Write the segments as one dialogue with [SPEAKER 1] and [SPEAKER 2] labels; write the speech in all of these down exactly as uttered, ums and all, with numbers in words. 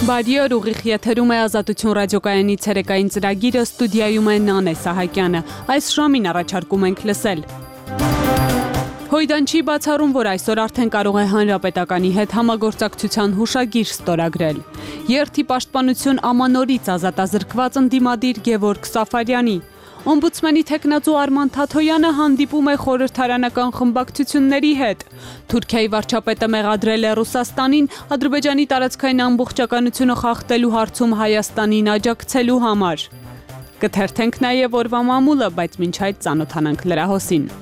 [SPEAKER 1] Բարի օր, ուղիղ եթերում է Ազատություն ռադիոկայանի ցերեկային ծրագիրը, ստուդիայում է Նանե Սահակյանը։ Այս ժամին առաջարկում ենք լսել. Հույդան չի բացառում, որ այսօր արդեն կարող է Հանրապետականի հետ համագործակցության հուշագիր ստորագրել։ Երթի պաշտպանություն ամանորից ազատազրկված ընդդիմադիր Գևորգ Սաֆարյանի։ Օմբուդսմենի թեկնածու Արման Թաթոյանը հանդիպում է խորհրդարանական խմբակցությունների հետ։ Թուրքիայի վարչապետը մեղադրել է Ռուսաստանին Ադրբեջանի տարածքային ամբողջականությունը խախտելու հարցում Հայաստանին աջակցելու համար։ Կթերթենք նաև օրվա մամուլը, բայց մինչ այդ ծանոթանանք լրահոսին։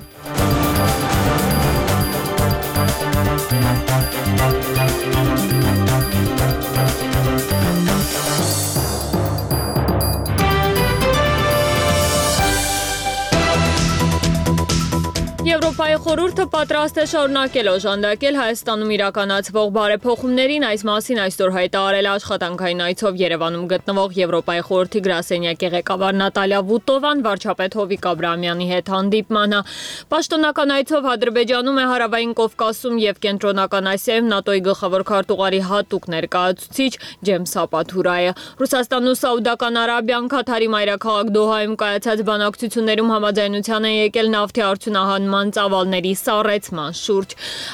[SPEAKER 1] Եվրոպայի խորհուրդը պատրաստ է շարունակել օժանդակել Հայաստանում իրականացվող բարեփոխումներին, այս մասին այսօր հայտարարել է աշխատանքային այցով Երևանում գտնվող Եվրոպայի խորհրդի գրասենյակի ղեկավար Նատալիա Վուտովան վարչապետ Հովիկ Աբրահամյանի հետ հանդիպման։ Պաշտոնական այցով Ադրբեջանում է Հարավային Կովկասում եւ Կենտրոնական Ասիայում ՆԱՏՕ-ի գլխավոր քարտուղարի հատուկ ներկայացուցիչ Ջեյմս Սապաթուրայը։ Ռուսաստանն ու Սաուդական Արաբիան Քաթարի մայրաքաղաք Դոհայում կայացած բանակցություններում համաձայնության են եկել նավթի արդյունահանման ծավալների սառեցման շուրջ։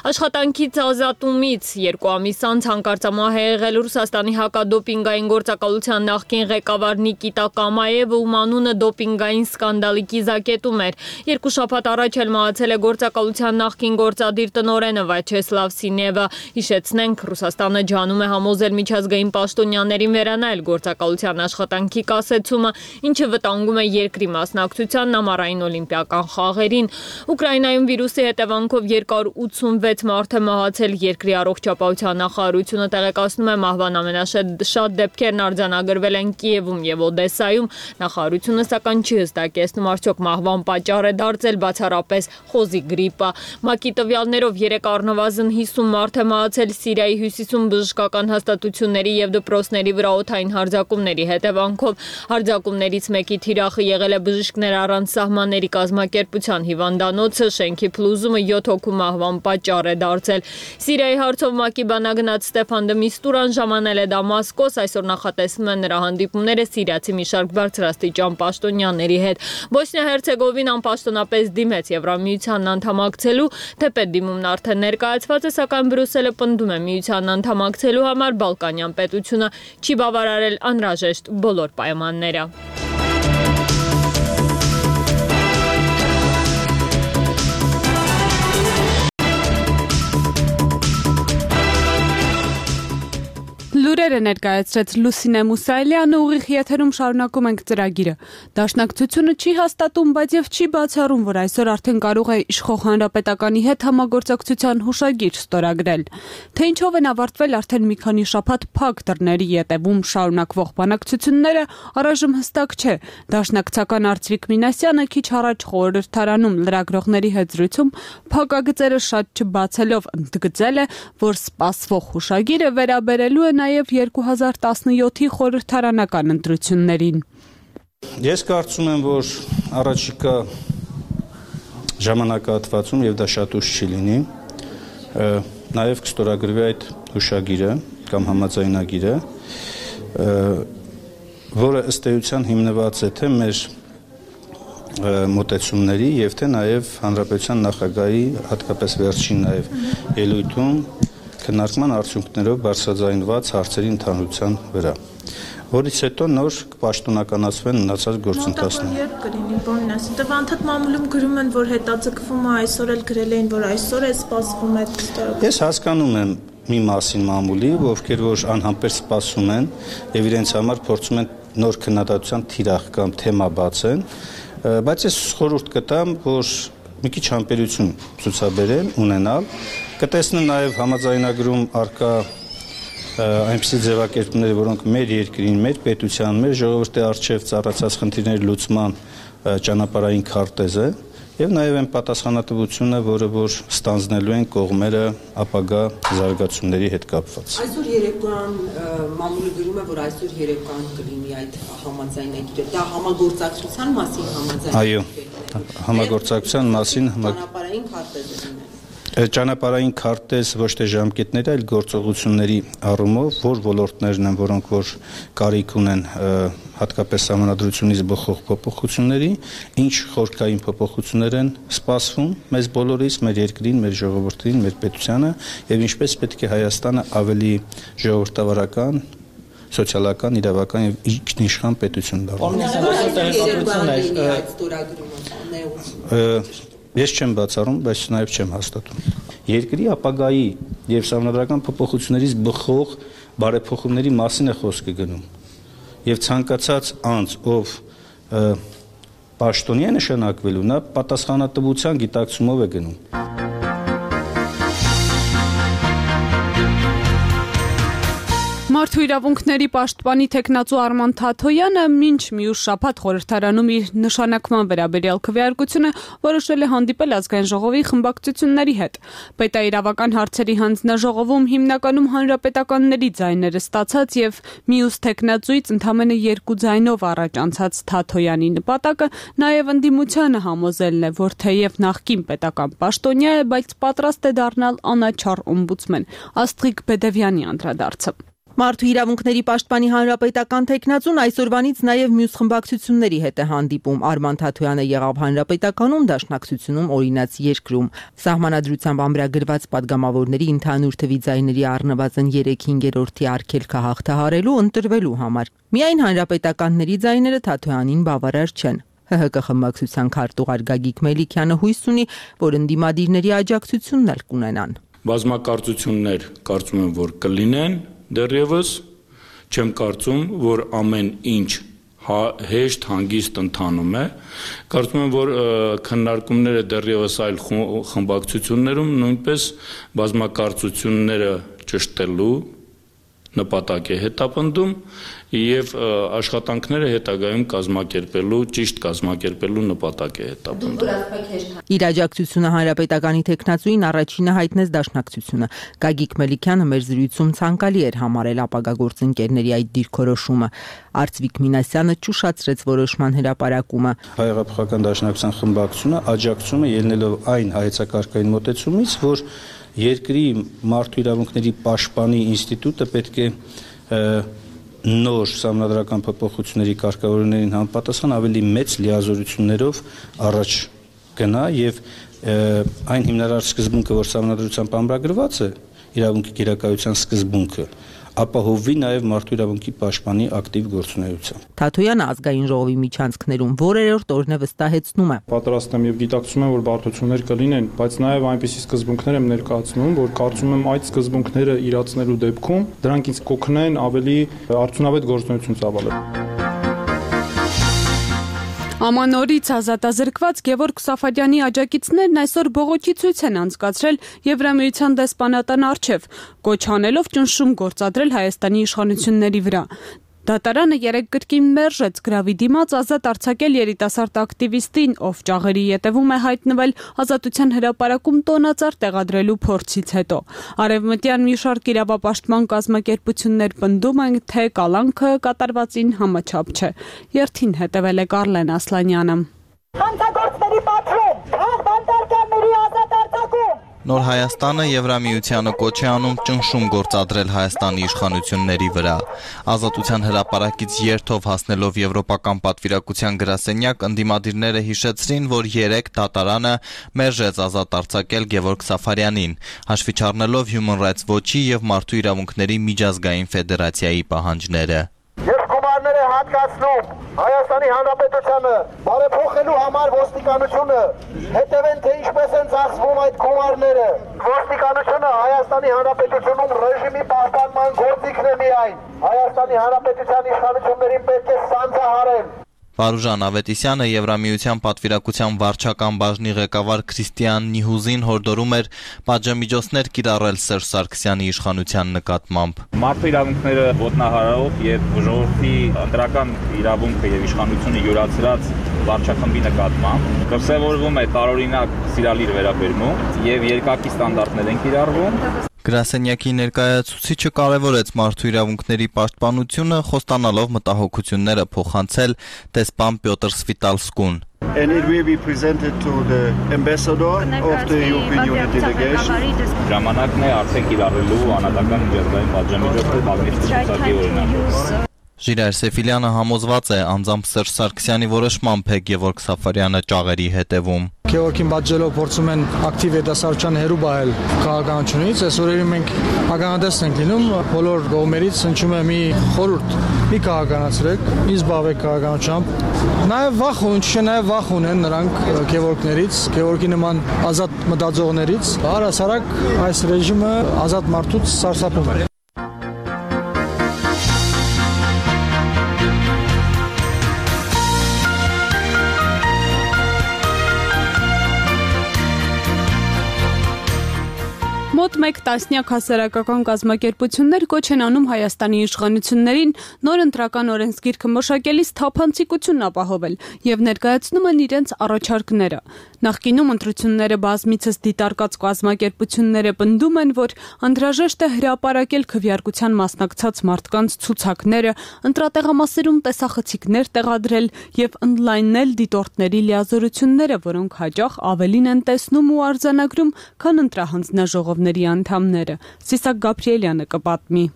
[SPEAKER 1] Աշխատանքից ազատումից երկու ամիս անց հանկարծամահ է եղել Ռուսաստանի հակադոպինգային գործակալության նախկին ղեկավար Նիկիտա Կամաևը, ում անունը դոպինգային սկանդալի կիզակետում էր։ Երկու շաբաթ առաջ էլ մահացել է գործակալության նախկին գործադիր տնօրենը Վաչեսլավ Սինևը։ Հիշեցնենք, Ռուսաստանը ջանում է համոզել միջազգային պաշտոնյաներին վերանայել գործակալության աշխատանքի կասեցումը, ինչը վտանգում է երկրի մասնակցությանն ամառային օլիմպիական խաղերին։ Ուկրաինայում վիրուսի հետևանքով երկար ութսունվեց մարդ է մահացել, երկրի առողջապահության նախարարությունը տեղեկացնում է մահվան ամենաշատ դեպքերն արձանագրվել են Կիևում եւ Օդեսայում։ Նախարարությունը սակայն չի հստակեցնում, արդյոք մահվան պատճառ է դարձել բացառապես խոզի գրիպը։ ՄԱԿ-ի տվյալներով երեք առնվազն հիսուն մարդ է մահացել Սիրիայի հյուսիսում բժշկական հաստատությունների եւ դպրոցների վրա օդային հարձակումների հետևանքով։ Հարձակումներից մեկի թիրախը եղել է Բժիշկներ առանց սահմանների կազմակերպության հիվանդանոցը, շենքի փլուզումը յոթ հոգու մահվան պատճառ է դարձել։ Սիրիայի հարցով ՄԱԿ-ի բանագնաց Ստեփան դը Միստուրան ժամանել է Դամասկոս, այսօր նախատեսվում են նրա հանդիպումները սիրիացի մի շարք բարձրաստիճան պաշտոնյաների հետ։ Բոսնիա-Հերցեգովինան պաշտոնապես դիմեց Եվրամիությանն անդամակցելու, թեպետ դիմումն արդեն ներկայացված է, սակայն Բրյուսելը պնդում է միությանն անդամակցելու համար Բալկանյան պետությունը չի բավարարել անհրաժեշտ բոլոր պայմանները։ Լուրերը ներկայացրեց Լուսինե Մուսայելյանը, ուղիղ եթերում շարունակում ենք ծրագիրը։ Դաշնակցությունը չի հաստատում, բայց եւ չի բացառում, որ այսօր արդեն կարող է իշխող Հանրապետականի հետ համագործակցության հուշագիր ստորագրել։ Թե ինչով են ավարտվել արդեն մի քանի շաբաթ փակ դռների ետևում շարունակվող բանակցությունները, առայժմ հստակ չէ։ Դաշնակցական Արծվիկ Մինասյանը քիչ առաջ խորհրդարանում լրագրողների հետ զրույցում փակագծերը շատ չբացելով ընդգծել է, որ սպասվող հուշագիրը վերաբերելու է նաև երկու հազար տասնյոթի խորհրդարանական ընտրություններին։
[SPEAKER 2] Ես կարծում եմ, որ առաջիկա ժամանակահատվածում, եւ դա շատ ուշ չի լինի, նաև կստորագրվի այդ հուշագիրը կամ համաձայնագիրը, որը ըստ էության հիմնված է թե մեր մոտեցումների եւ թե նաև Հանրապետության նախագահի հատկապես վերջին նաև ելույթում քննարկման արդյունքներով բարձրաձայնված հարցերի ընդհանրության վրա, որից հետո նոր կպաշտոնականացվեն մնացած գործընթացները։
[SPEAKER 3] Երբ կլինի, բանին ասին, դե անդադ մամուլում գրում են, որ հետաձգվում է, այսօր էլ գրել էին, որ այսօր է սպասվում այդ ստորագրումը։
[SPEAKER 2] Ես հասկանում եմ մի մասին մամուլի, ովքեր որ անհամբեր սպասում են եւ իրենց համար փորձում են նոր քննադատության թիրախ կամ թեմա բացեն, բայց ես խորհուրդ կտամ, որ մի քիչ համբերություն ցուցաբերեն, ունենալ, կտեսնեն նաև համաձայնագրում արկա այնպիսի ձևակերպումներ, որոնք մեր երկրին, մեր պետության, մեր ժողովրդի առջև ծառացած խնդիրների լուծման ճանապարհային քարտեզ է եւ նաև այն պատասխանատվությունը, որը որ ստանձնելու են կողմերը ապագա զարգացումների հետ կապված։
[SPEAKER 4] Այսօր երեկոյան մամուլը գրում է, որ այսօր երեկոյան կլինի այդ համաձայնագիրը։ Դա համագործակցության մասին համաձայնագիր է։
[SPEAKER 2] Այո, համագործակցության մասին
[SPEAKER 4] ճանապարհային քարտեզ է։
[SPEAKER 2] Ճանապարհային քարտեզ ոչ թե ժամկետների, այլ գործողությունների առումով, որ ոլորտներն են, որոնք որ կարիք ունեն հատկապես սահմանադրությունից բխող փոփոխությունների, ինչ խորքային փոփոխություններ են սպասվում մեզ բոլորիս, մեր երկրին, մեր ժողովրդին, մեր պետությանը եւ ինչպես պետք է Հայաստանը ավելի ժողովրդավարական, սոցիալական, իրավական եւ ինքնիշխան պետություն դառնա։ Ես չեմ բացառում, բայց նաև չեմ հաստատում։ Երկրի ապագայի եւ սահմանադրական փոփոխություններից բխող բարեփոխումների մասին է խոսքը գնում։ Եվ ցանկացած անձ, ով պաշտոնյա նշանակվելու, նա պատասխանատվության գիտակցումով է գնում։
[SPEAKER 5] Մարդու իրավունքների պաշտպանի թեկնածու Արման Թաթոյանը մինչ մյուս շաբաթ խորհրդարանում իր նշանակման վերաբերյալ քվեարկությունը որոշել է հանդիպել ազգային ժողովի խմբակցությունների հետ։ Պետաիրավական հարցերի հանձնաժողովում հիմնականում հանրապետականների ձայները ստացած եւ մյուս թեկնածուից ընդամենը երկու ձայնով առաջ անցած Թաթոյանի նպատակը նաեւ ընդդիմությանը համոզելն է, որ թեև նախկին պետական պաշտոնյա է, բայց պատրաստ է դառնալ անաչառ օմբուդսմեն։ Աստղիկ Բեդևյանի անդրադարձը։
[SPEAKER 6] Մարդու իրավունքների պաշտպանի հանրապետական թեկնածուն այսօրվանից նաև մյուս խմբակցությունների հետ է հանդիպում։ Արման Թաթոյանը եղավ հանրապետականում, դաշնակցությունում օրինաց երկրում։ Սահմանադրությամբ ամրագրված падգամավորների ընդհանուր թվի ձայների առնվազն երեք հինգերորդի արգելքը հաղթահարելու ընտրվելու համար։ Միայն հանրապետականների ձայները Թաթոյանին բավարար չեն։ ՀՀԿ խմբակցության քարտուղար Գագիկ Մելիքյանը հույս ունի, որ ընդդիմադիրների աջակցությունն էլ կունենան։
[SPEAKER 7] Բազմակարծություններ կարծում եմ, որ կլինեն դեռևս, չեմ կարծում, որ ամեն ինչ հեշտ հանգիստ ընթանում է, կարծում եմ, որ քննարկումները դեռևս այլ խմբակցություններում նույնպես բազմակարծությունները ճշտելու նպատակ է հետապնդում եւ աշխատանքները հետագայում կազմակերպելու, ճիշտ կազմակերպելու նպատակ է հետապնդում։
[SPEAKER 6] Իր աջակցությունը հանրապետականի թեկնածուին առաջինը հայտնեց դաշնակցությունը։ Գագիկ Մելիքյանը մեր զրույցում ցանկալի էր համարել ապագա գործընկերների այդ դիրքորոշումը։ Արծվիկ Մինասյանը ճուշացրեց որոշման հրապարակումը։
[SPEAKER 2] Հայ-հեղափոխական դաշնակցության խմբակցությունը աջակցում է ելնելով այն հայեցակարգային մոտեցումից, որ երկրի մարդու իրավունքների պաշտպանի ինստիտուտը պետք է նոր սահմանադրական փոփոխությունների կարգավորումներին համապատասխան ավելի մեծ լիազորություններով առաջ գնա եւ այն հիմնարար սկզբունքը, որ սահմանադրությամբ ամրագրված է, իրավունքի գերակայության սկզբունքը, ապահովվի նաև մարդու իրավունքի պաշտպանի ակտիվ գործունեությամբ։
[SPEAKER 6] Թաթոյանը ազգային ժողովի միջանցքներում որերորդ օրն է վստահեցնում է։
[SPEAKER 8] Պատրաստ եմ եւ գիտակցում եմ, որ բարդություններ կլինեն, բայց նաև այնպիսի սկզբունքներ եմ ներկայացնում, որ կարծում եմ այդ սկզբունքները իրացնելու դեպքում դրանք ինձ կօգնեն ավելի արդյունավետ գործունեություն ծավալել։
[SPEAKER 5] Ամանորից ազատազրկված Գևորգ Սաֆարյանի աջակիցներն այսօր բողոքի ցույց են անցկացրել Եվրամիության դեսպանատան առջև, կոչ անելով ճնշում գործադրել Հայաստանի իշխանությունների վրա։ Դատարանը երեկ կրկին մերժեց գրավի դիմաց ազատ արձակել երիտասարդ ակտիվիստին, ով ճաղերի ետևում է հայտնվել ազատության հրապարակում տոնածառ տեղադրելու փորձից հետո։ Արևմտյան մի շարք իրավապաշտպան կազմակերպություններ պնդում են, թե կալանքը կատարվածին համաչափ չէ։ Երթին հետևել է Կարլեն Ասլանյանը։
[SPEAKER 9] Հանցագործների պատրում, բանտարկյանների ազատ արձակում։
[SPEAKER 10] Նոր Հայաստանը Եվրամիությանը կոչ է անում ճնշում գործադրել Հայաստանի իշխանությունների վրա։ Ազատության հրապարակից երթով հասնելով Եվրոպական պատվիրակության գրասենյակ ընդդիմադիրները հիշեցրին, որ երեկ դատարանը մերժեց ազատ արձակել Գևորգ Սաֆարյանին, հաշվի չառնելով Human Rights Watch-ի եւ Մարդու իրավունքների միջազգային ֆեդերացիայի պահանջները։
[SPEAKER 9] Ես գումարները հատկացնում Հայաստանի Հանրապետությանը բարեփոխելու համար ոստիկանությունը հետևեն, թե ինչպես են ծախսվում այդ գումարները։ Ոստիկանությունը Հայաստանի Հանրապետությունում ռեժիմի պահպանման գործիքն է միայն։ Հայաստանի Հանրապետության իշխանություններին պետք է սանձահարել։
[SPEAKER 10] Վարուժան Ավետիսյանը Եվրամիության պատվիրակության վարչական բաժնի ղեկավար Քրիստիան Նիհուզին հորդորում էր պատժամիջոցներ կիրառել Սերժ Սարգսյանի իշխանության նկատմամբ։
[SPEAKER 11] Մարդու իրավունքները ոտնահարելով եւ ժողովրդի ընտրական իրավունքը եւ իշխանությունը յուրացրած վարչախմբի նկատմամբ դրսևորվում է տարօրինակ սիրալիր վերաբերմունք եւ երկակի ստանդարտներ են կիրառվում։
[SPEAKER 10] Գրասենյակի ներկայացուցիչը կարևորեց մարդու իրավունքների պաշտպանությունը, խոստանալով մտահոգությունները փոխանցել դեսպան Պյոտր Սվիտալսկուն։
[SPEAKER 12] And it will be presented to the ambassador of the European Union delegation.
[SPEAKER 11] Ժամանակն է արդեն կիրառելու անհատական միջազգային պատժամիջոցը բազմիցս ցուցակի օրինակով։
[SPEAKER 10] Ժիրայր Սեֆիլյանը համոզված է անձամբ Սերժ Սարգսյանի որոշմամբ է Գևորգ Սաֆարյանը ճաղերի հետևում։
[SPEAKER 13] Գևորգին պատժելով փորձում են ակտիվ հետասարչան հերու բայել քաղաքականությունից, այս օրերին մենք ականատես ենք լինում, բոլոր կողմերից հնչում է մի խորհուրդ՝ մի քաղաքականացրեք, մի զբաղվեք քաղաքականությամբ։ Նաև վախ ունեն, չէ՞ նաև վախ ունեն նրանք Գևորգներից, Գևորգի նման ազատ մտածողներից։ Առհասարակ այս ռեժիմը ազատ մարդուց սարսափում է։
[SPEAKER 5] Մոտ մեկ տասնյակ հասարակական կազմակերպություններ կոչ են անում Հայաստանի իշխանություններին նոր ընտրական օրենսգիրքը մշակելիս թափանցիկություն ապահովել եւ ներկայացնում են իրենց առաջարկները։ Նախկինում ընտրությունները բազմիցս դիտարկած կազմակերպությունները պնդում են, որ անհրաժեշտ է հրապարակել քվեարկության մասնակցած մարդկանց ցուցակները, ընտրատեղամասերում տեսախցիկներ տեղադրել եւ օնլայնել դիտորդների լիազորությունները, որոնք հաճախ ավելին են տեսնում ու արձանագրում, քան ընտրահանձնաժողովների անդամները։ Սիսակ Գաբրիելյանը կպատմի։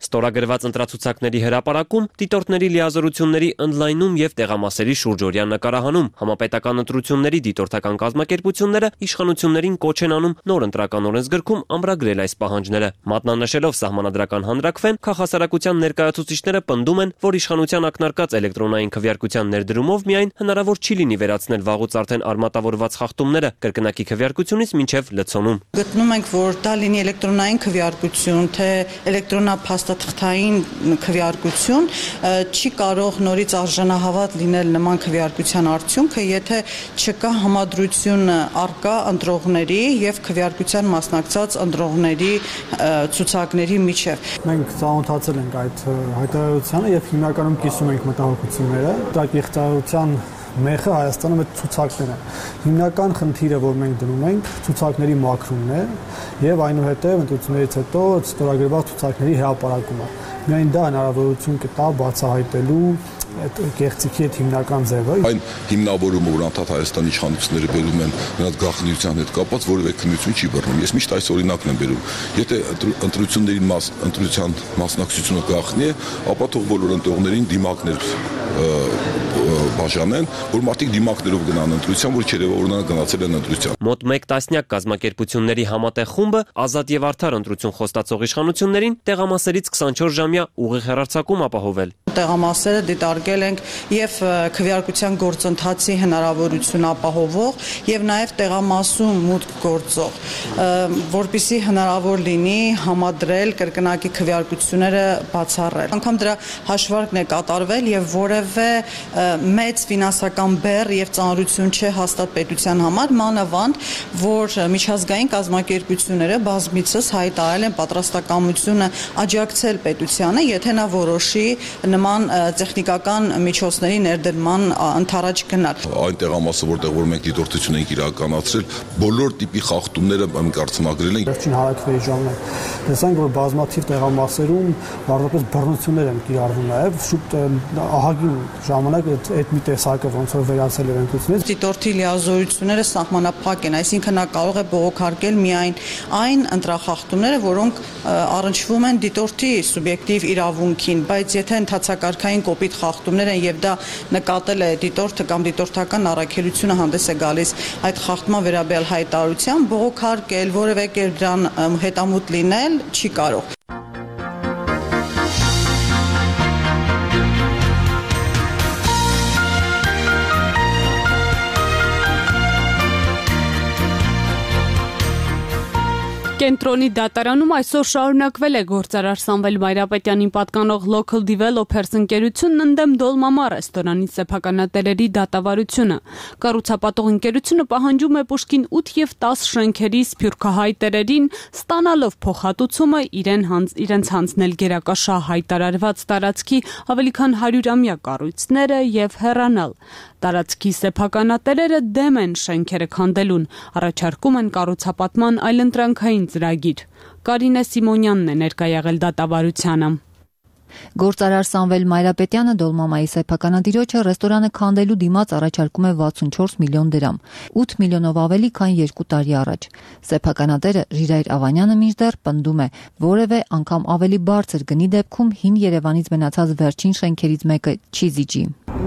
[SPEAKER 14] Ստորագրված ընտրացուցակների հրապարակում, դիտորդների լիազորությունների օնլայնում եւ տեղամասերի շուրջօրյա նկարահանում համապետական ընտրությունների դիտորդական կազմակերպությունները իշխանություններին կոչ են անում նոր ընտրական օրենսգրքում ամրագրել այս պահանջները։ Մատնանշելով սահմանադրական հանրաքվեն, քաղաքասարակության ներկայացուցիչները պնդում են, որ իշխանության ակնարկած էլեկտրոնային քվեարկության ներդրումով միայն հնարավոր չի լինի վերացնել վաղուց արդեն արմատավորված խախտումները կրկնակի քվեարկությունից մինչև լցոնում։
[SPEAKER 15] Գտնում ենք, որ դա լինի էլեկտրոնային քվեարկություն, թե էլեկտրոնափաստաթղթային քվեարկություն, չի կարող նորից արժանահավատ լինել նման քվեարկության արդյունքը, եթե չկա համադրություն առկա ընտրողների եւ քվեարկության մասնակցած ընտրողների ցուցակների միջև։
[SPEAKER 13] Մենք ծանոթացել ենք այդ հայտարարությանը եւ հիմնականում կիսում ենք մտահոգությունները։ Դա կեղծարարության մեխը Հայաստանում այդ ցուցակներն են։ Հիմնական խնդիրը, որ մենք դնում ենք, ցուցակների մաքրումն է եւ այնուհետեւ ընտրություններից հետո ստորագրված ցուցակների հրապարակումը։ Միայն դա հնարավորություն կտա բացահայտելու այդ կեղծիքի այդ հիմնական ձևը։
[SPEAKER 16] Այն հիմնավորումը, որ անդադ Հայաստանի իշխանությունները բերում են նրանց գաղտնիության հետ կապված, որևէ քննություն չի բռնում։ Ես միշտ այս օրինակն եմ բերում։ Եթե ընտրությունների մաս ընտրության մասնակցությունը գաղտնի է, ապա թող բոլոր ընտրողներին դիմակներ բաժանեն, որ մարդիկ դիմակներով գնան ընտրության, որ չերևավորնան գնացել են ընտրության։
[SPEAKER 14] Մոտ մեկ տասնյակ կազմակերպությունների համատեղ խումբը ազատ եւ արդար ընտրություն խոստացող իշխանություններին տեղամասերից քսանչորս ժամյա ուղիղ հեռարձակում ապահովել։
[SPEAKER 15] Տեղամասերը դիտարկել ենք եւ քվեարկության գործընթացի հնարավորություն ապահովող եւ նաեւ տեղամասում մուտք գործող, որպեսզի հնարավոր լինի համադրել կրկնակի քվեարկությունները բացառել։ Անկամ դրա հաշվարկն է կատարվել եւ որևէ մեծ ֆինանսական բեռ եւ ծանրություն չէ հաստատ պետության համար, մանավանդ որ միջազգային կազմակերպությունները բազմիցս հայտարարել են պատրաստակամությունը աջակցել պետությանը, եթե նա որոշի նման տեխնիկական միջոցների ներդրման ընթരാճ գնալ։
[SPEAKER 16] Այն տեղամասը, որտեղ որ մենք դիտորդություն ենք իրականացրել, բոլոր տիպի խախտումները մենք արձանագրել ենք։
[SPEAKER 13] Վերջին հարաքվեի ժամանակ տեսանք, որ բազմաթիվ տեղամասերում բառնապես բռնություններ են կիրառվում նաև շուտ ահագին ժամանակ այդ մի տեսակը ոնց որ վերացել էր ընտրությունից։
[SPEAKER 15] Դիտորդի լիազորությունները սահմանափակ են, այսինքն նա կարող է բողոքարկել միայն այն ընտրախախտումները, որոնք առնչվում են դիտորդի սուբյեկտիվ իրավունքին, բայց եթե ընթացակարգային կոպիտ խախտումներ են եւ դա նկատել է դիտորդը կամ դիտորդական առաքելությունը հանդես է գալիս այդ խախտման վերաբերյալ հայտարարության, բողոքարկել, որևէ կերպ դրան հետամուտ լինել չի կարող։
[SPEAKER 5] Կենտրոնի դատարանում այսօր շարունակվել է գործարար Սամվել Բայրապետյանին պատկանող Local Developers ընկերությունն ընդդեմ Դոլմամա ռեստորանի սեփականատերերի դատավարությունը։ Կառուցապատող ընկերությունը պահանջում է Պուշկին ութ եւ տաս շենքերի սփյուռքահայ տերերին ստանալով փոխհատուցումը իրեն հանց իրենց հանձնել գերակաշահ հայտարարված տարածքի ավելի քան հարյուրամյա կառույցները եւ հեռանալ։ Տարածքի սեփականատերերը դեմ են շենքերը քանդելուն, առաջարկում են կառուցապատման այլընտրանքային կառավարության ծրագիր։ Կարինե Սիմոնյանն է ներկա եղել դատավարությանը։
[SPEAKER 17] Գործարար Սամվել Մայրապետյանը Դոլմամայի սեփականատիրոջը ռեստորանը քանդելու դիմաց առաջարկում է վաթսունչորս միլիոն դրամ, ութ միլիոնով ավելի, քան երկու տարի առաջ։ Սեփականատերը Ժիրայր Ավանյանը մինչդեռ պնդում է, որևէ անգամ ավելի բարձր գնի դեպքում հին Երևանից մնացած վերջին շենքերից մեկը չի զիջի։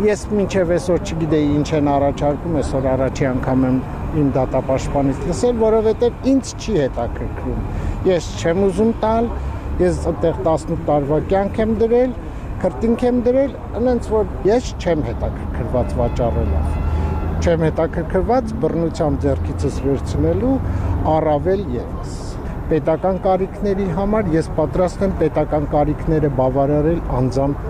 [SPEAKER 18] Ես մինչև այսօր չգիտեի ինչ են առաջարկում, այսօր առաջի անգամ եմ իմ դատապաշտպանից լսել, որովհետև ինձ չի հետաքրքրում։ Ես չեմ ուզում տալ, ես այդտեղ տասնութ տարվա կյանք եմ դրել, քրտինք եմ դրել, այնց որ ես չեմ հետաքրքրված վաճառելով։ Չեմ հետաքրքրված բռնությամբ ձեռքիցս վերցնելու, առավել ևս։ Պետական կարիքների համար ես պատրաստ եմ պետական կարիքները բավարարել անձամբ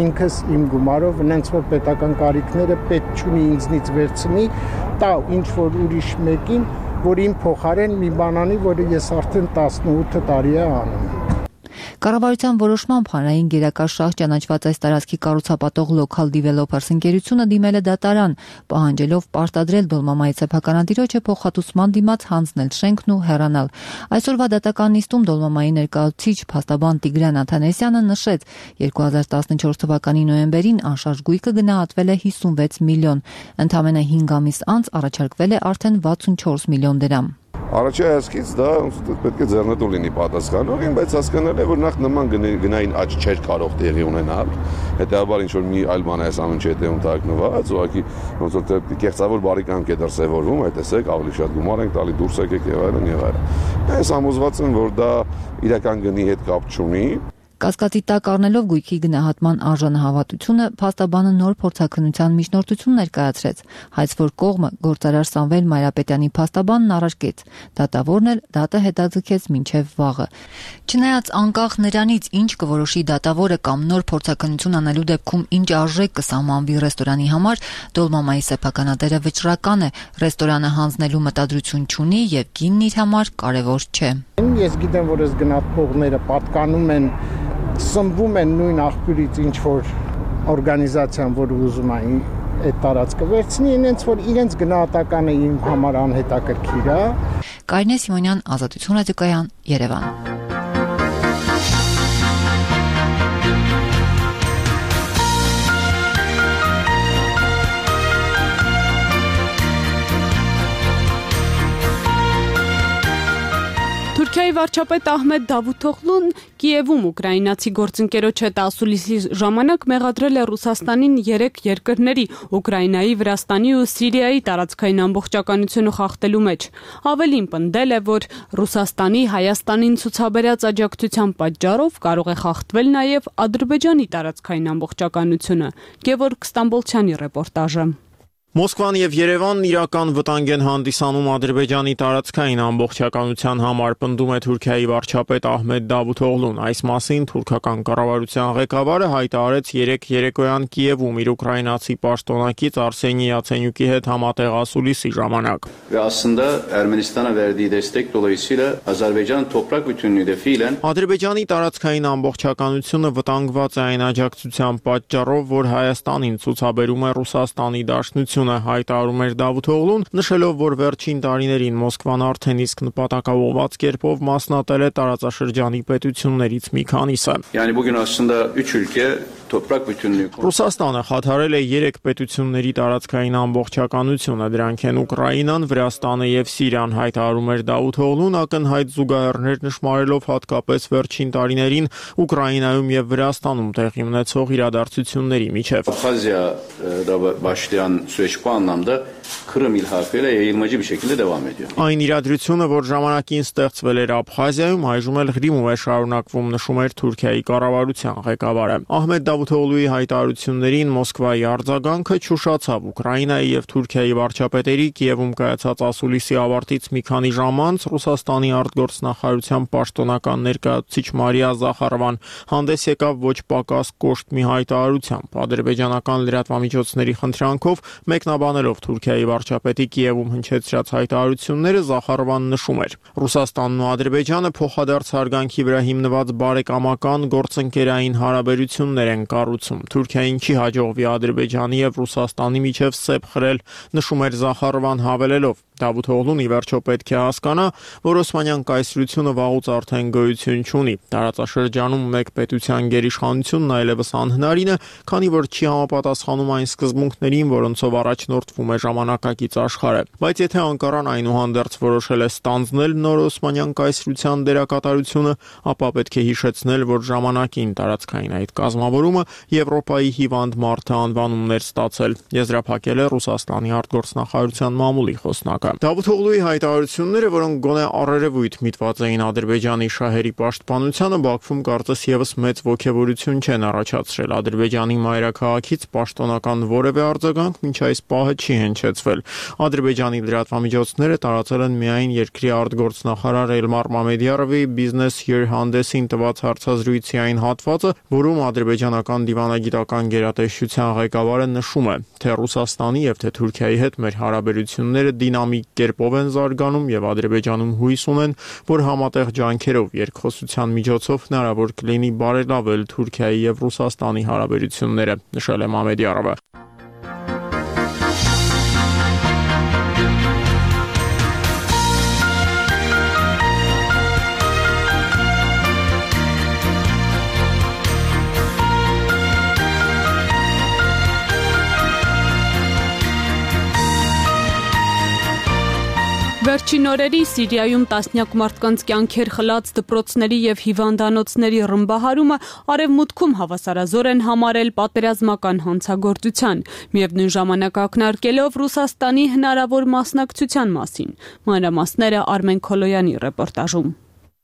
[SPEAKER 18] ինքս իմ գումարով, այնց որ պետական կարիքները պետք չունի ինձնից վերցնի, տա ինչ որ ուրիշ մեկին, որ իմ փոխարեն մի բան անի, որը ես արդեն տասնութ տարի է անում։
[SPEAKER 17] Կառավարության որոշմամբ հանրային գերակաշռ ճանաչված այս տարածքի կառուցապատող Local Developers ընկերությունը դիմել է դատարան, պահանջելով պարտադրել Դոլմամայի սեփականատիրոջը փոխհատուցման դիմաց հանձնել շենքն ու հեռանալ։ Այսօրվա դատական նիստում Դոլմամայի ներկայացուցիչ փաստաբան Տիգրան Աթանեսյանը նշեց, երկու հազար տասնչորս թվականի նոյեմբերին անշարժ գույքը գնահատվել է հիսունվեց միլիոն, ընդամենը հինգ ամիս անց առաջարկվել է արդեն վաթսունչորս միլիոն դրամ։
[SPEAKER 19] Առաջի հայացքից դա պետք է ձեռնտու լինի պատասխանողին, բայց հասկանալ է, որ նախ նման գնային աճ չէր կարող տեղի ունենալ, հետեւաբար ինչ որ մի այլ բան է այս ամեն ինչի հետևում տակնված, ուղղակի ոնց որ կեղծավոր բարիկանք է դրսևորվում, այդ տեսեք, ավելի շատ գումար ենք տալի, դուրս եկեք եւ այլն եւ այլն։ Ես համոզված եմ, որ դա իրական գնի հետ կապ չունի։
[SPEAKER 17] Կասկածի տակ առնելով գույքի գնահատման արժանահավատությունը, փաստաբանը նոր փորձաքննության միջնորդություն ներկայացրեց, հայց որ կողմը գործարար Սամվել Մայրապետյանի փաստաբանն առարկեց, դատավորն էլ դատը հետաձգեց մինչև վաղը։ Չնայած անկախ նրանից, ինչ կորոշի դատավորը կամ նոր փորձաքննություն անելու դեպքում ինչ արժեք կսահմանվի ռեստորանի համար, Դոլմամայի սեփականատերը վճռական է, ռեստորանը հանձնելու մտադրություն չունի եւ գինն իր համար կարեւոր չէ։
[SPEAKER 18] Ես գիտեմ, որ այս գնահատողները պատկանում են սնվում են նույն աղբյուրից ինչ որ օրգանիզացիան, որ ուզում է այդ տարածքը վերցնի, ինձ որ իրենց գնահատականը իմ համար անհետաքրքիր է։
[SPEAKER 17] Կարինե Սիմոնյան, Ազատություն ռադիոկայան, Երևան։
[SPEAKER 5] Թուրքիայի վարչապետ Ահմեդ Դավութօղլուն Կիևում ուկրաինացի գործընկերոջ հետ ասուլիսի ժամանակ մեղադրել է Ռուսաստանին երեք երկրների՝ Ուկրաինայի, Վրաստանի ու Սիրիայի տարածքային ամբողջականությունը խախտելու մեջ։ Ավելին պնդել է, որ Ռուսաստանի Հայաստանին ցուցաբերած աջակցության պատճառով կարող է խախտվել նաև Ադրբեջանի տարածքային ամբողջականությունը։ Գևորգ Ստամբոլցյանի ռեպորտաժը։
[SPEAKER 20] Մոսկվան եւ Երևանն իրական վտանգ են հանդիսանում Ադրբեջանի տարածքային ամբողջականության համար, պնդում է Թուրքիայի վարչապետ Ահմեդ Դավութօղլուն։ Այս մասին թուրքական կառավարության ղեկավարը հայտարարեց երեկ երեկոյան Կիևում իր ուկրաինացի պաշտոնակից Արսենի Յացենյուկի հետ համատեղ ասուլիսի ժամանակ։ Ադրբեջանի տարածքային ամբողջականությունը վտանգված է այն աջակցության պատճառով, որ Հայաստանին ցուցաբերում է Ռուսաստանի Դաշնությունը, հայտարարում էր Դավութօղլուն, նշելով, որ վերջին տարիներին Մոսկվան արդեն իսկ նպատակաուղղված կերպով մասնատել է տարածաշրջանի պետություններից մի քանիսը։ Ռուսաստանը խաթարել է երեք պետությունների տարածքային ամբողջականությունը, դրանք են Ուկրաինան, Վրաստանը եւ Սիրիան, հայտարարում էր Դավութօղլուն, ակնհայտ զուգահեռներ նշмарելով հատկապես վերջին տարիներին Ուկրաինայում եւ Վրաստանում տեղի ունեցող իրադարձությունների միջև։
[SPEAKER 21] Kırım ilhakıyla yayılmacı bir şekilde devam ediyor.
[SPEAKER 20] Այն իրադրությունը, որ ժամանակին ստեղծվել էր Աբխազիայում, այժմ էլ Ղրիմում է շարունակվում, նշում էր Թուրքիայի կառավարության ղեկավարը։ Ահմեդ Դավութօղլուի հայտարարություններին Մոսկվայի արձագանքը չուշացավ։ Ուկրաինայի եւ Թուրքիայի վարչապետերի Կիևում կայացած ասուլիսի ավարտից մի քանի ժամ անց Ռուսաստանի արտգործնախարարության պաշտոնական ներկայացուցիչ Մարիա Զախարովան հանդես եկավ ոչ պակաս կոշտ մի հայտարարությամբ։ Ադրբեջանական լրատվամիջոցների խնդրանքով մեկնաբանելով Թուրքիայի վարչապետի Կիևում հնչեցրած հայտարարությունները Զախարովան նշում էր. Ռուսաստանն ու Ադրբեջանը փոխադարձ հարգանքի վրա հիմնված բարեկամական գործընկերային հարաբերություններ են կառուցում։ Թուրքիային չի հաջողվի Ադրբեջանի եւ Ռուսաստանի միջև սեպ խրել, նշում էր Զախարովան հավելելով. Դավութօղլուն ի վերջո պետք է հասկանա, որ Օսմանյան կայսրությունը վաղուց արդեն գոյություն չունի։ Տարածաշրջանում մեկ պետության գերիշխանությունն այլևս անհնարին է, քանի որ չի համապատասխանում այն սկզբունքներին, որոնցով առաջնորդվում է ժամանակակից աշխարհը։ Բայց եթե Անկարան այնուհանդերձ որոշել է ստանձնել նոր Օսմանյան կայսրության դերակատարությունը, ապա պետք է հիշեցնել, որ ժամանակին տարածքային այդ կազմավորումը Եվրոպայի հիվանդ մարդը անվանումներ ստացել, եզրափակել է Ռուսաստանի արտգործնախարարության մամուլի խոսնակը։ Դավութօղլուի հայտարարությունները, որոնք գոնե առերևույթ միտված էին Ադրբեջանի շահերի պաշտպանությանը, Բաքվում կարծես եւս մեծ ոգևորություն չեն առաջացրել։ Ադրբեջանի մայրաքաղաքից պաշտոնական որևէ արձագանք մինչ այս պահը չի հնչեցվել։ Ադրբեջանի լրատվամիջոցները տարածել են միայն երկրի արտգործնախարար Էլմար Մամեդյարովի Business Year հանդեսին տված հարցազրույցի այն հատվածը, որում ադրբեջանական դիվանագիտական գերատեսչության ղեկավարը նշում է, թե Ռուսաստանի եւ թե Թուրքիայի հետ մեր հարաբերությունները դինամիկ կերպով են զարգանում եւ Ադրբեջանում հույս ունեն, որ համատեղ ջանքերով երկխոսության միջոցով հնարավոր կլինի բարելավել Թուրքիայի եւ Ռուսաստանի հարաբերությունները, նշել է Մամեդյարովը։
[SPEAKER 5] Վերջին օրերի Սիրիայում տասնյակ մարդկանց կյանքեր խլած դպրոցների եւ հիվանդանոցների ռմբահարումը արևմուտքում հավասարազոր են համարել պատերազմական հանցագործության, միևնույն ժամանակ ակնարկելով Ռուսաստանի հնարավոր մասնակցության մասին։ Մանրամասները Արմեն Քոլոյանի ռեպորտաժում։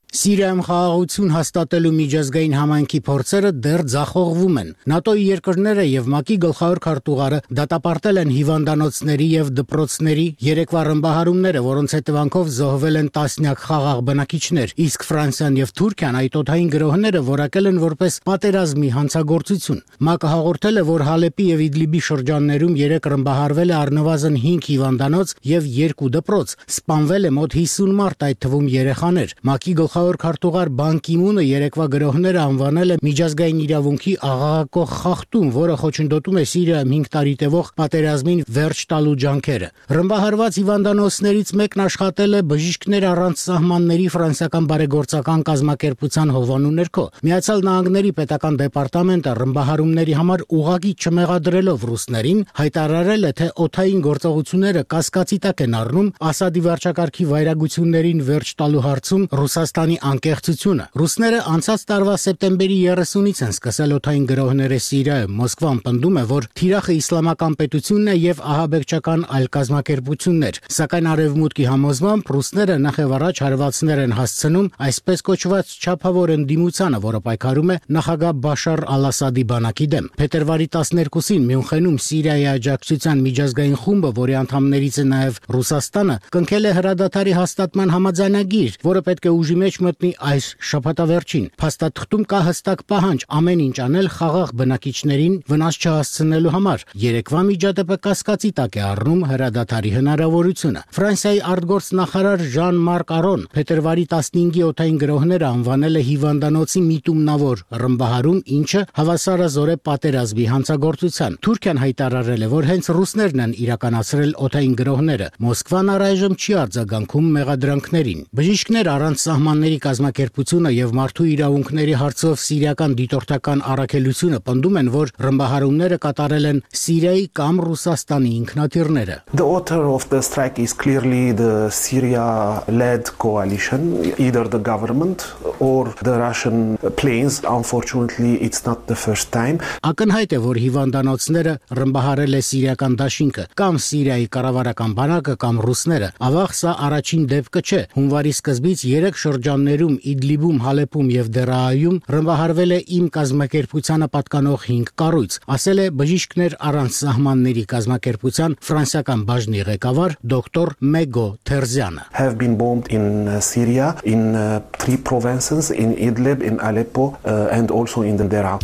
[SPEAKER 1] Սիրիայում խաղաղություն հաստատելու միջազգային համայնքի փորձերը դեռ ձախողվում են։ ՆԱՏՕ-ի երկրները եւ ՄԱԿ-ի գլխավոր քարտուղարը դատապարտել են հիվանդանոցների եւ դպրոցների երեկվա ռմբահարումները, որոնց հետևանքով զոհվել են տասնյակ խաղաղ բնակիչներ, իսկ Ֆրանսիան եւ Թուրքիան այդ օդային գրոհները որակել են որպես պատերազմի հանցագործություն։ ՄԱԿ-ը հաղորդել է, որ Հալեպի եւ Իդլիբի շրջաններում երեք ռմբահարվել է առնվազն հինգ հիվանդանոց եւ երկու դպրոց, սպանվել է մոտ հիսուն մարդ, այդ թվում երեխաներ։ ՄԱԿ-ի գլխավոր քարտուղար Բան Կի Մունը երեկվա գրոհները անվանել է միջազգային իրավունքի աղաղակող խախտում, որը խոչընդոտում է Սիրիայում հինգ տարի տևող պատերազմին վերջ տալու ջանքերը։ Ռմբահարված հիվանդանոցներից մեկն աշխատել է բժիշկներ առանց սահմանների ֆրանսիական բարեգործական կազմակերպության հովանու ներքո։ Միացյալ Նահանգների պետական դեպարտամենտը ռմբահարումների համար ուղղակի չմեղադրելով ռուսներին հայտարարել է, թե օդային գործողությունները կասկածի տակ են առնում Ասադի վարչակարգի վայրագություններին վերջ տալու հարցում Ռուսաստանի անկեղծությունը։ Ռուսները անցած տարվա սեպտեմբերի երեսունից են սկսել օդային գրոհները Սիրիայում։ Մոսկվան պնդում է, որ թիրախը իսլամական պետությունն է եւ ահաբեկչական այլ կազմակերպություններ։ Սակայն արևմուտքի համոզմամբ ռուսները նախև առաջ հարվածներ են հասցնում այսպես կոչված չափավոր ընդդիմությանը, որը պայքարում է նախագահ Բաշար Ալ-Ասադի բանակի դեմ։ Փետրվարի տասներկուսին Մյունխենում Սիրիայի աջակցության միջազգային խումբը, որի անդամներից է նաեւ Ռուսաստանը, կնքել է հրադադարի հաստատման համաձայնագիր, որը պետք է ուժի մեջ մտնի այս շաբաթավերջին։ Փաստաթղթում կա հստակ պահանջ ամեն ինչ անել խաղաղ բնակիչներին վնաս չհասցնելու համար։ Երեկվա միջադեպը կասկածի տակ է առնում հրադադարի հնարավորությունը։ Ֆրանսիայի արտգործնախարար Ժան-Մարկ Արոն փետրվարի տասնհինգի օդային գրոհները անվանել է հիվանդանոցի միտումնավոր ռմբահարում, ինչը հավասարազոր է պատերազմի հանցագործության։ Թուրքիան հայտարարել է, որ հենց ռուսներն են իրականացրել օդային գրոհները։ Մոսկվան առայժմ չի արձագանքում մեղադրանքներին։ Բժիշկներ առանց սահմանների կազմակերպությունը եւ մարդու իրավունքների հարցով սիրիական դիտորդական առաքելությունը պնդում են, որ ռմբահարումները կատարել են Սիրիայի կամ Ռուսաստանի ինքնաթիռները։
[SPEAKER 22] The author of the strike is clearly the Syria-led coalition, either the government or the Russian planes. Unfortunately, it's not the first time.
[SPEAKER 1] Ակնհայտ է, որ հիվանդանոցները ռմբահարել է սիրիական դաշինքը, կամ Սիրիայի կառավարական բանակը, կամ ռուսները։ Ավաղ սա առաջին դեպքը չէ։ Հունվարի սկզբից երեք շրջաններում Իդլիբում, Հալեպում եւ Դերայում ռմբահարվել է իմ կազմակերպությանը պատկանող հինգ կառույց, ասել է բժիշկներ առանց սահմանների կազմակերպության ֆրանսիական բաժնի ղեկավար դոկտոր Մեգո Թերզյանը։
[SPEAKER 22] Have been bombed in uh, Syria in uh, three provinces, in Idlib, in Aleppo uh, and also in the Deraa.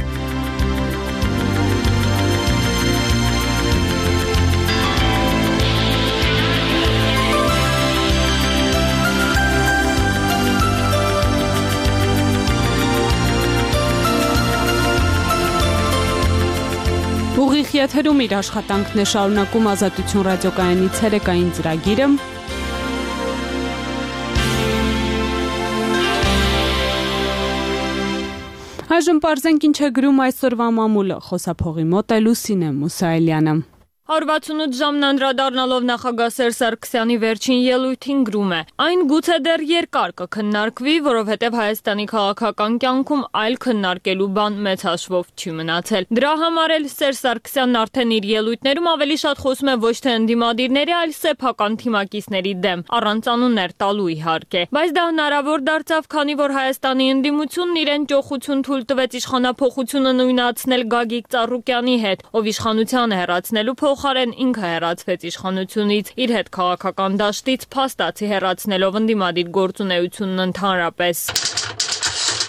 [SPEAKER 5] Ուղիղ եթերում իր աշխատանքն է շարունակում Ազատություն ռադիոկայանի ցերեկային ծրագիրը։ Այժմ պարզենք ինչ է գրում այսօրվա մամուլը, խոսափողի մոտ է Լուսինե Մուսայելյանը։
[SPEAKER 3] one hundred sixty-eight ժամն անդրադառնալով նախագահ Սերժ Սարգսյանի վերջին ելույթին գրում է. Այն գուցե դեռ երկար կքննարկվի, որովհետև Հայաստանի քաղաքական կյանքում այլ քննարկելու բան մեծ հաշվով չի մնացել։ Դրա համար էլ Սերժ Սարգսյանն արդեն իր ելույթներում ավելի շատ խոսում է ոչ թե ընդդիմադիրների, այլ սեփական թիմակիցների դեմ, առանց անուններ տալու իհարկե։ Բայց դա հնարավոր դարձավ, քանի որ Հայաստանի ընդդիմությունն իրեն ճոխություն թույլ տվեց իշխանափոխությունը նույնացնել Գագիկ Ծառուկյանի հետ, ով իշխանությանը հեռացնելու փոխարեն ինքը հեռացվեց իշխանությունից, իր հետ քաղաքական դաշտից փաստացի հեռացնելով ընդդիմադիր գործունեությունն ընդհանրապես։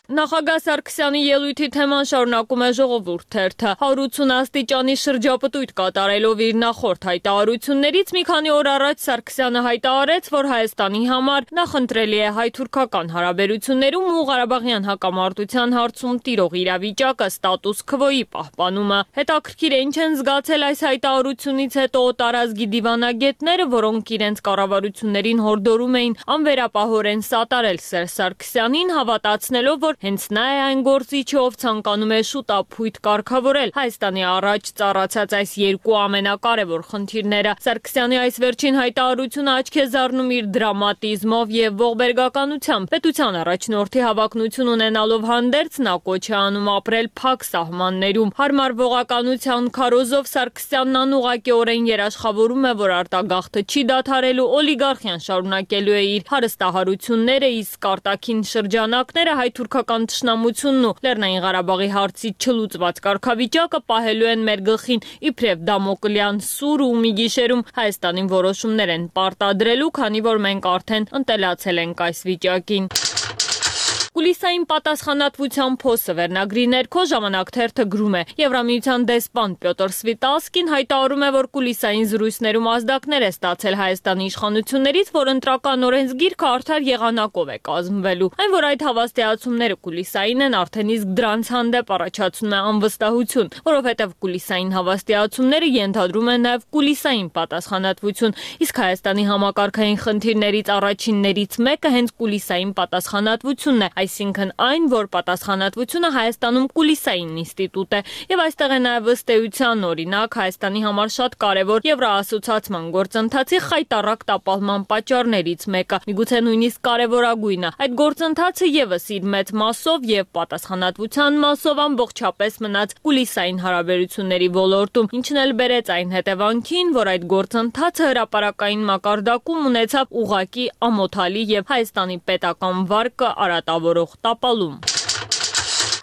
[SPEAKER 3] Նախագահ Սարգսյանի ելույթի թեման շարունակում է Ժողովուրդ թերթը։ one hundred eighty աստիճանի շրջապտույտ կատարելով իր նախորդ հայտարարություններից մի քանի օր առաջ Սարգսյանը հայտարարեց, որ Հայաստանի համար նախընտրելի է հայ-թուրքական հարաբերություններում ու Ղարաբաղյան հակամարտության հարցում տիրող իրավիճակը ստատուս քվոյի պահպանումը։ Հետաքրքիր է ինչ են զգացել այս հայտարարությունից հետո տարազգի դիվանագետները, որոնք իրենց կառավարություններին հորդորում էին անվերապահորեն սատարել Սերժ Սարգսյանին, հավատացնելով, որ հենց նա է այն գործիչը, ով ցանկանում է շուտափույթ կարգավորել Հայաստանի առաջ ծառացած այս երկու ամենակարևոր խնդիրները։ Սարգսյանի այս վերջին հայտարարությունը աչք է զարնում իր դրամատիզմով եւ ողբերգականությամբ։ Պետության առաջնորդի հավակնություն ունենալով հանդերձ նա կոչ է անում ապրել փակ սահմաններում։ Հարմարվողականության քարոզով Սարգսյանն անուղղակիորեն երաշխավորում է, որ արտագաղթը չի դադարելու, օլիգարխիան շարունակելու է իր հարստահարությունները, իսկ արտաքին շրջանակները հայ-թուրքական թշնամությունն ու Լեռնային Ղարաբաղի հարցից չլուծված կարգավիճակը պահելու են մեր գլխին իբրև դամոկլյան սուր ու մի գիշերում Հայաստանին որոշումներ են պարտադրելու, քանի որ մենք արդեն ընտելացել ենք այս վիճակին։ Կուլիսային պատասխանատվության փոսը վերնագրի ներքո Ժամանակ թերթը գրում է. Եվրամիության դեսպան Պյոտր Սվիտալսկին հայտարարում է, որ կուլիսային զրույցներում ազդակներ է ստացել Հայաստանի իշխանություններից, որ ընտրական օրենսգիրքը արդար եղանակով է կազմվելու։ Այն, որ այդ հավաստիացումները կուլիսային են, արդեն իսկ դրանց հանդեպ առաջացնում է անվստահություն, որովհետև կուլիսային հավաստիացումները ենթադրում են նաև կուլիսային պատասխանատվություն, իսկ Հայաստանի համակարգային խնդիրներից առաջիններից մեկը հենց կուլիսային պատասխանատվությունն է, այսինքն այն, որ պատասխանատվությունը Հայաստանում կուլիսային ինստիտուտ է, եւ այստեղ է նաեւ ըստ էության օրինակ Հայաստանի համար շատ կարեւոր Եվրոասոցիացիան գործընթացի խայտառակ տապալման պատճառներից մեկը, միգուցե նույնիսկ կարևորագույնը։ Այդ գործընթացը եւս իր մեծ մասով եւ պատասխանատվության մասով ամբողջապես մնաց կուլիսային հարաբերությունների ոլորտում, ինչն էլ բերեց այն հետևանքին, որ այդ գործընթացը հրապարակային մակարդակում ունեցավ ուղղակի ամոթալի եւ Հայաստանի պետական վարկը արատավոր տապալում։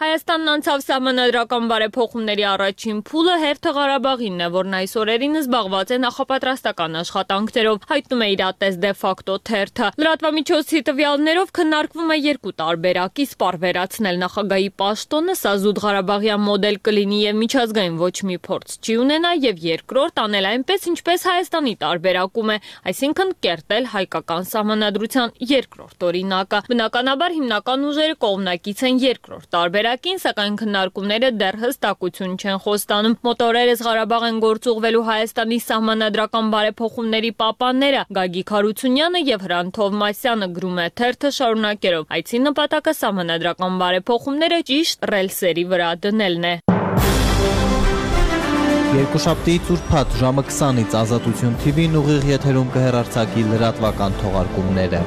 [SPEAKER 3] Հայաստանն անցավ սահմանադրական բարեփոխումների առաջին փուլը հերթը Ղարաբաղինն է, որն այս օրերին զբաղված է նախապատրաստական աշխատանքներով, հայտնում է իրատես դե ֆակտո թերթը։ Լրատվամիջոցի տվյալներով քննարկվում է երկու տարբերակ՝ իսպառվերացնել նախագահի պաշտոնը, սա զուտ Ղարաբաղյան մոդել կլինի եւ միջազգային ոչ մի փորձ չի ունենա, եւ երկրորդ անել այնպես, ինչպես Հայաստանի տարբերակում է, այսինքն կերտել հայկական սահմանադրության երկրորդ օրինակը։ Բնականաբար հիմնական ուժերը կողմնակից են երկրորդ տարբերակ, սակայն քննարկումները դեռ հստակություն չեն խոստանում։ Մոտորերս Ղարաբաղ են գործուղվելու Հայաստանի սահմանադրական բարեփոխումների պապանները Գագիկ Հարությունյանը եւ Հրանտ Թովմասյանը, գրում է թերթը շարունակելով. Այցի նպատակը սահմանադրական բարեփոխումները ճիշտ ռելսերի վրա դնելն է։
[SPEAKER 10] Երկուշաբթիից ուրբաթ ժամը քսանից Ազատություն թի վին ուղիղ եթերում կհեռարձակի լրատվական թողարկումները։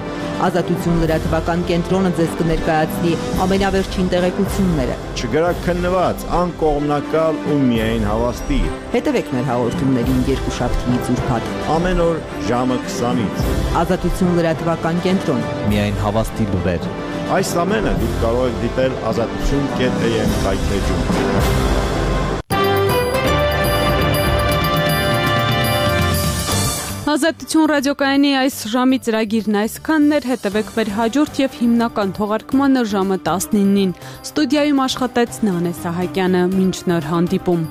[SPEAKER 6] Ազատություն լրատվական կենտրոնը ձեզ կներկայացնի ամենավերջին տեղեկությունները։
[SPEAKER 4] Չգրակ քննված, անկողմնակալ ու միայն հավաստի։
[SPEAKER 6] Հետևեք մեր հաղորդումներին երկուշաբթիից ուրբաթ
[SPEAKER 4] ամեն օր ժամը քսանից։
[SPEAKER 6] Ազատություն լրատվական կենտրոն։
[SPEAKER 10] Միայն հավաստի լուրեր։
[SPEAKER 4] Այս ամենը դուք կարող եք դիտել ազատություն կետ է եմ հայտնեջում։
[SPEAKER 5] Ազատություն ռադիոկայանի այս ժամի ծրագիրն այսքանն էր, հետևեք մեր հաջորդ եւ հիմնական թողարկմանը ժամը տասնինին։ Ստուդիայում աշխատեց Նանե Սահակյանը, մինչ նոր հանդիպում։